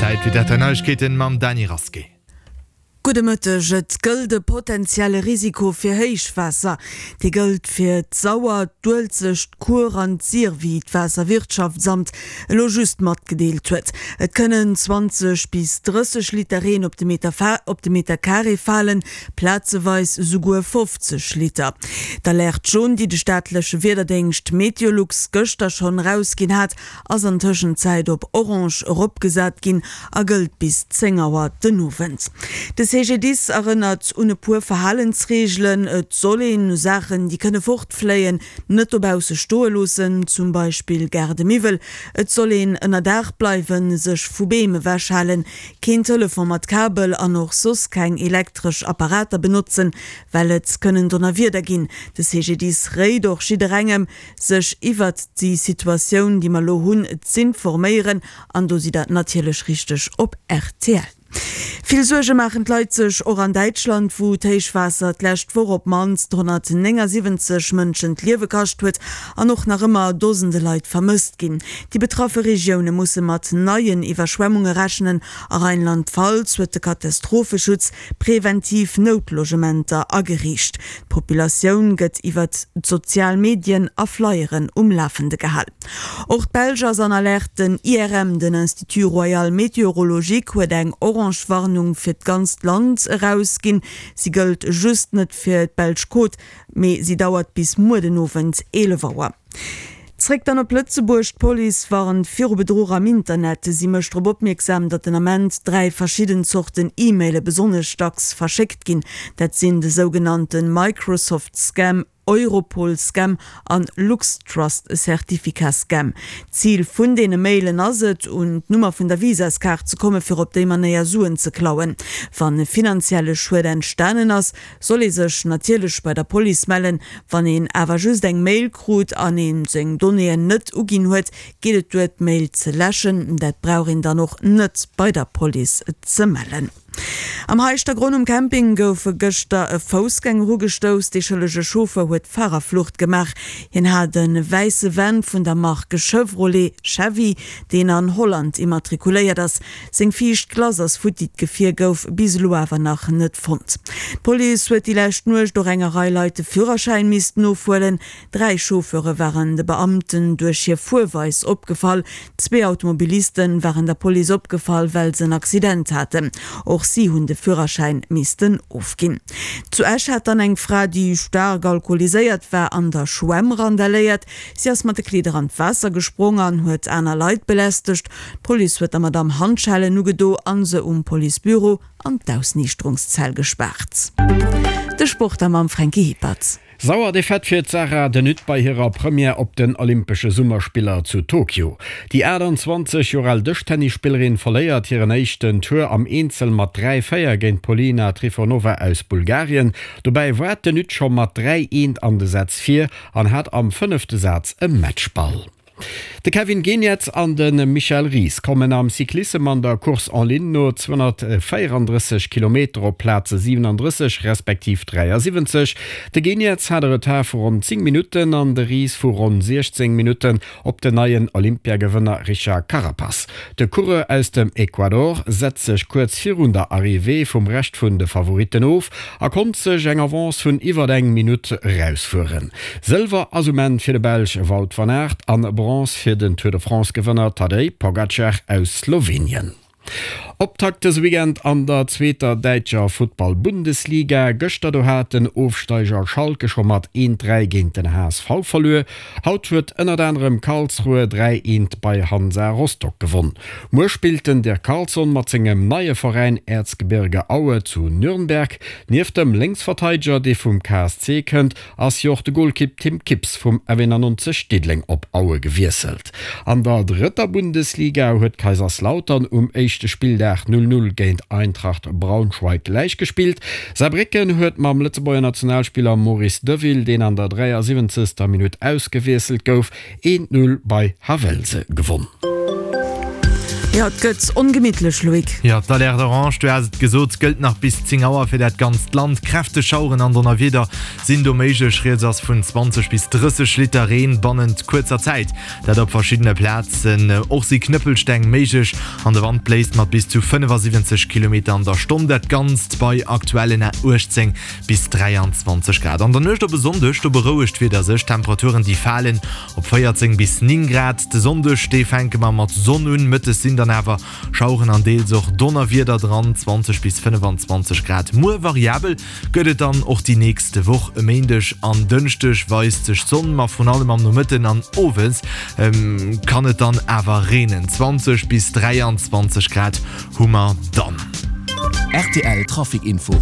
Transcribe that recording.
Zäit fir d'Neiegkeeten mam Dany Rasqué. Gudde Mëtteg. Et gëllt e potenzielle Risiko fir Héichwaasser. Dee gëllt fir d'Sauer, d'Uelzecht, d'Kuer an d'Sir, wéi d'Waasserwirtschaftsamt elo just matgedeelt huet. Et kënnen 20 bis 30 Liter Reen op de Meter op de Meter Carré falen, plazeweis esouguer 50 Liter. D'Alerte jaune, déi de staatleche Wiederdéngscht Meteolux gëschter schonn erausginn hat, ass an Tëschenzäit op Orange eropgesat ginn a gëllt bis 10 Auer den Owend. De CGDIS erënnert un e puer Verhalensreegelen, Et soll een Saachen, déi kënne fortfléien, net dobausse stoe loossen, zum Beispill Gaardemiwwel. Et soll een ënner Daach bleiwen, sech vu Beem ewechhalen, keen Telefon mat Kabel an och soss keng elektresch Apparater benotzen, well et kënnen Donnerwieder ginn. De CGDIS réit och jidderengem, sech iwwert déi Situatioun, déi mer elo hunn, z'informéieren, an do sidd Der natierlech richteg op rtl. Vill Suerge maachen d'Leit sech och an Däitschland, wou d'Héichwaasser d'lescht Woch op d'mannst 179 Mënschen d'Liewe kascht huet an och nach ëmmer Dosende Leit vermësst ginn. Déi betraffe Regioune musse mat neien Iwwerschwemmunge rechnen. A Rheinland-Pfalz huet de Katastropheschutz preventiv Noutlogementer ageriicht. D'Populatioun gëtt iwwert d'sozial Medien a Flyeren um Lafende gehal. Och d'Belsch ass an Alerte. Den IRM, den Institut Royal Météorologique, huet eng orange Warnung fir d'ganzt Land erausginn. Si gëllt just net fir d'belsch Côte, mee si dauert bis muer den Owend 11 Auer. Zréck dann op Lëtzebuerg, D'Police warnt viru Bedruch am Internet. Si mécht drop opmierksam, datt den Ament 3 verschidden Zorten E-Maile besonnesch dacks verschéckt ginn. Dat sinn de sougenannte Microsoft-Scam, Europol-Scam an LuxTrust-Certificat-Scam. D'Zil vun deene Mailen ass et, un d'Nummer vun der Visaskaart ze komme fir op déi Manéier Suen ze klauen. Wann e finanzielle Schued entstanen ass, Soll ee sech natierlech bei der Police mellen. Wann een awer just eng Mail krut an een seng Donnéeën net uginn huet, geet et duer d'Mail ze läschen. Dat brauch een dann och net bei der Police ze mellen. Am Heischtergronn um Camping gouf gëschter e Foussgänger ugestouss. Dee schëllege Chauffeur huet Farerflucht gemaach. Hien hat e wäisse Van vun der Mark Chevrolet Chevy, deen an Holland immatrikuléiert ass. Seng viischt Klass ass futti, d'Gefier gouf bis elo awer nach net fonnt. D'Police huet déi lescht Nuecht och enger Rei Leit de Führerschäin missten ofhuelen. 3 Chauffeure waren de Beamten duerch hir Fuerweis opgefall. Zwee Automobiliste waren der Police opgefall, well se en Accident haten. Och si hunn de Führerschäin missten ofginn. Zu Esch hat dann eng Fra, déi staark alkoholiséiert war, an der Schwämm randaléiert. Si ass mat de Kleeder an d'Waasser gesprong an huet aner Leit belästegt. D'Police huet der Madamm Handschellen ugedo an se um Policebüro an d'Ausniichterungszell gespaart. De Sport da mam Fränki Hippert. Sauer Defaite fir d'Sarah De Nutte bei hirer Première op den Olympesche Summerspiller zu Tokio. Déi 28 Joer al Dëschtennisspillerin verléiert hiren éischten Tour am Eenzel mat 3, 4 géint d'Polina Trifonova aus Bulgarien. Dobäi war d'De Nutte scho mat 3, 1 an de Sätz vir an hat am fënnefte Saz e Matchball. De Kevin Geniets an de Michel Ries kommen am Cyclissem an der Course en ligne no 234 Kilometer op Plaze 37 respektiv 73. De Geniets hat e Retard vu ronn 10 Minutten an de Ries vu ronn 16 Minutten op den neien Olympiagewënner Richard Carapaz. De Coureur aus dem Ecuador setzt sech kuerz virun der Arrivée vum Rescht vun de Favoritten of a konnt sech eng Avance vun iwwer eng Minutt erausfueren. Sëlwer ass um Enn fir de Belsch Wout van Aert an Bronze fir den Tour de France-Gewënner Tadej Pogacar aus Slowenien. Optakt dëse Weekend an der zweeter däitscher Futtball-Bundesliga. Gëschter do hat den Ofsteiger Schalke scho mat 1, 3 géint den HSV verluer. Haut huet ënnert anerem Karlsruhe 3, 1 bei Hansa Rostock gewonn. Muer spillt den Dirk Carlson mat sengem neie Veräin Erzgebirge Aue zu Nürnberg. Nieft dem Lénksverteideger, dee vum KSC kënnt, ass jo och de Golkipp Tim Kips vum F91 Diddeleng op Aue gewiesselt. An der drëtter Bundesliga huet Kaiserslautern um éischte Spilldag 0, 0 géint Eintracht Braunschweig gläichgespillt. Saarbrécken huet mam Lëtzebuerger Nationalspiller Maurice Deville, deen an der 73. Minutt ausgewiesselt gouf, 1, 0 bei Havelse gewonn. Jo, et gëtt ongemittlech, Loïc. Jo, d'Alerte orange, du has et gesot, gëllt nach bis 10 Auer fir dat ganzt Land. Kräfteg Schaueren an Donnerwieder sinn do méiglech. Rieds ass vun 20 bis 30 Liter Reen bannent kuerzer Zäit, dat op verschiddene Plazen. Och si Knëppelsteng méiglech an de Wand bléist mat bis zu 75 Kilometer an der Stonn. Dat Ganzt bei aktuellen 18 bis 23 Grad. An der Nuecht op e Sonndeg, do berouegt d'Wieder sech, d'Temperaturen déi falen op 14 bis 9 Grad. De Sonndeg, dee fänke mer mat Sonn un, mëttes sinn dann awer Schaueren an deels och Donnerwieder dran, 20 bis 25 Grad. Muer variabel gëtt et dann och déi nächst Woch. E Méindeg an Dënschdeg weist sech d'Sonn, ma vrun allem am Nomëtten an Owes kann et dann awer reenen, 20 bis 23 Grad hu mer dann. Rtl Trafic Info.